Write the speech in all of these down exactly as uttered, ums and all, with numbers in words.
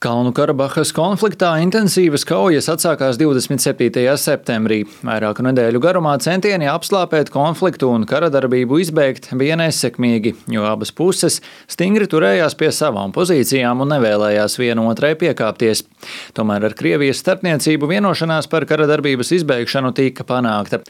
Kalnu Karabahas konfliktā intensīvas kaujas atsākās divdesmit septītajā septembrī. Vairāku nedēļu garumā centieni apslāpēt konfliktu un karadarbību izbeigt bija nesekmīgi, jo abas puses stingri turējās pie savām pozīcijām un nevēlējās viena otrai piekāpties. Tomēr ar Krievijas starpniecību vienošanās par karadarbības izbeigšanu tika panākta.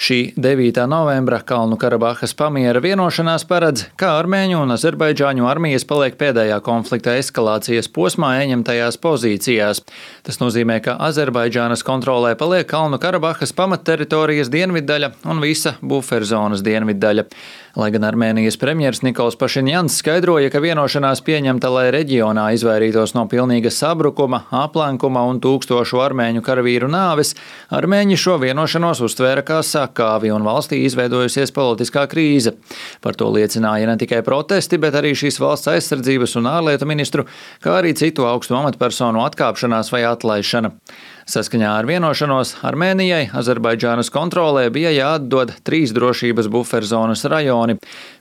Šī devītā novembra Kalnu Karabahas pamiera vienošanās paredz, ka armēņu un azerbaidžāņu armijas paliek pēdējā konflikta eskalācijas posmā ieņemtajās pozīcijās. Tas nozīmē, ka Azerbaidžānas kontrolē paliek Kalnu Karabahas pamatteritorijas dienviddaļa un visa buferzonas dienviddaļa. Lai gan Armēnijas premjers Nikols Pašinjans skaidroja, ka vienošanās pieņemta, lai reģionā izvairītos no pilnīga sabrukuma, aplenkuma un tūkstošu armēņu karavīru nāves, armēņi šo vienošanos uztvēra kā sakāvi un valstī izveidojusies politiskā krīze. Par to liecināja ne tikai protesti, bet arī šīs valsts aizsardzības un ārlietu ministru, kā arī citu augstu amatpersonu atkāpšanās vai atlaišana. Saskaņā ar vienošanos Armēnijai Azerbaidžānas kontrolē bija jāatdod trīs drošības buferzonas rajoni.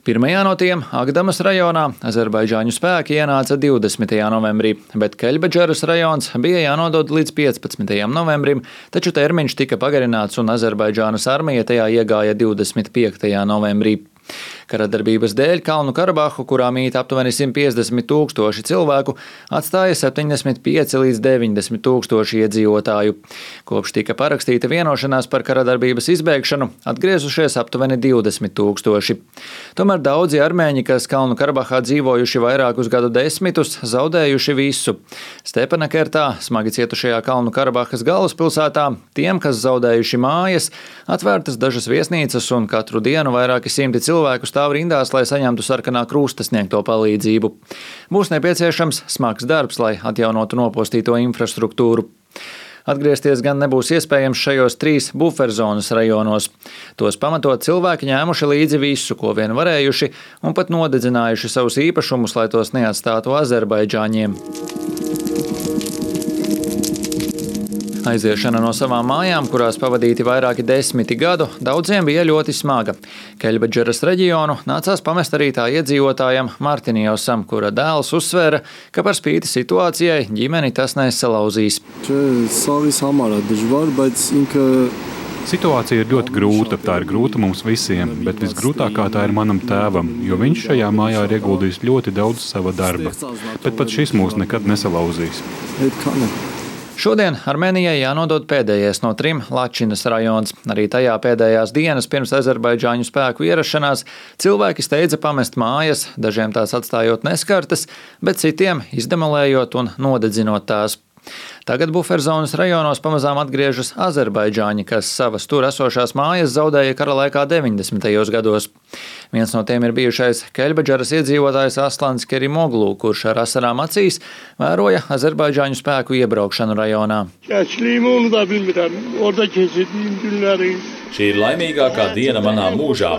Pirmajā no tiem, Agdamas rajonā, azerbaidžāņu spēki ienāca divdesmitajā novembrī, bet Keļbadžaras rajons bija jānodod līdz piecpadsmitajam novembrim, taču termiņš tika pagarināts un Azerbaidžānas armija tajā iegāja divdesmit piektajā novembrī. Karadarbības dēļ Kalnu Karabahu, kurā mīt aptuveni simt piecdesmit tūkstoši cilvēku, atstāja septiņdesmit pieci līdz deviņdesmit tūkstoši iedzīvotāju. Kopš tika parakstīta vienošanās par karadarbības izbeigšanu, atgriezušies aptuveni divdesmit tūkstoši. Tomēr daudzi armēņi, kas Kalnu Karabahā dzīvojuši vairākus gadu desmitus, zaudējuši visu. Stepenakertā, smagi cietušajā Kalnu Karabahas galvaspilsētā, tiem, kas zaudējuši mājas, atvērtas dažas viesnīcas un katru dienu vairāki simti cilvēku stāv rindās, lai saņemtu sarkanā krusta sniegto palīdzību. Būs nepieciešams smags darbs, lai atjaunotu nopostīto infrastruktūru. Atgriezties gan nebūs iespējams šajos trīs buferzonas rajonos. Tos pamatot cilvēki ņēmuši līdzi visu, ko vien varējuši, un pat nodedzinājuši savus īpašumus, lai tos neatstātu azerbaidžāņiem. Aiziešana no savām mājām, kurās pavadīti vairāki desmiti gadu, daudziem bija ļoti smaga. Keļbadžaras reģionu nācās pamest arī tā iedzīvotājam Martinijosam, kura dēls uzsvēra, ka par spīti situācijai ģimeni tas nesalauzīs. Situācija ir ļoti grūta, tā ir grūta mums visiem, bet visgrūtākā tā ir manam tēvam, jo viņš šajā mājā ir ieguldījis ļoti daudz sava darba, bet pat šis mūs nekad nesalauzīs. Šodien Armēnijai jānodod pēdējais no trim Lačinas rajons. Arī tajā pēdējās dienas pirms azerbaidžāņu spēku ierašanās cilvēki steidza pamest mājas, dažiem tās atstājot neskartas, bet citiem izdemolējot un nodedzinot tās. Tagad buferzonas rajonos pamazām atgriežas azerbaidžāņi, kas savas tur esošās mājas zaudēja kara laikā deviņdesmitajos gados. Viens no tiem ir bijušais Keļbadžaras iedzīvotājs Aslans Kerimoglu, kurš ar asarām acīs vēroja azerbaidžāņu spēku iebraukšanu rajonā. Šī ir laimīgākā diena manā mūžā.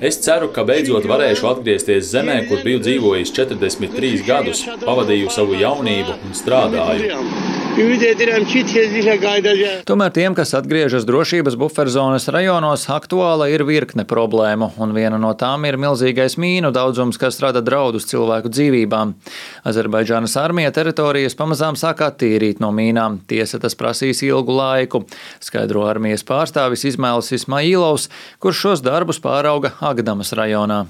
Es ceru, ka beidzot varēšu atgriezties zemē, kur biju dzīvojis četrdesmit trīs gadus, pavadīju savu jaunību un strādāju. Tomēr tiem, kas atgriežas drošības buferzonas rajonos, aktuāla ir virkne problēmu, un viena no tām ir milzīgais mīnu daudzums, kas rada draudus cilvēku dzīvībām. Azerbaidžānas armija teritorijas pamazām sāk attīrīt no mīnām. Tiesa, tas prasīs ilgu laiku, skaidro armijas pārstāvis Izmēls Ismailovs, kurš šos darbus pārauga Agdamas rajonā.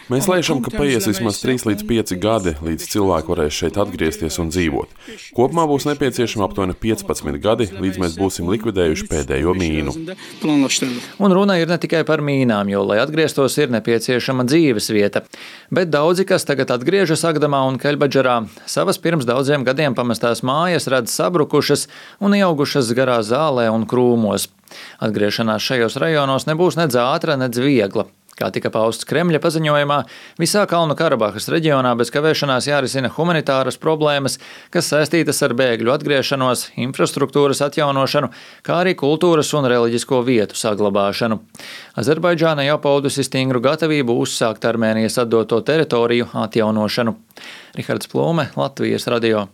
Mēs lēšam, ka paies vismaz trīs līdz pieci gadi, līdz cilvēki varēs šeit atgriezties un dzīvot. Kopumā būs nepieciešama aptuveni piecpadsmit gadi, līdz mēs būsim likvidējuši pēdējo mīnu. Un runa ir ne tikai par mīnām, jo, lai atgrieztos, ir nepieciešama dzīves vieta. Bet daudzi, kas tagad atgriežas Agdamā un Keļbadžarā, savas pirms daudziem gadiem pamestās mājas redz sabrukušas un ieaugušas garā zālē un krūmos. Atgriešanās šajos rajonos nebūs nedz ātra, nedz viegla. Kā tika pausts Kremļa paziņojumā, visā Kalnu Karabahas reģionā bez kavēšanās jārisina humanitāras problēmas, kas saistītas ar bēgļu atgriešanos, infrastruktūras atjaunošanu, kā arī kultūras un reliģisko vietu saglabāšanu. Azerbaidžāna jau paudusi stingru gatavību uzsākt Armēnijas atdoto teritoriju atjaunošanu. Rihards Plūme, Latvijas radio.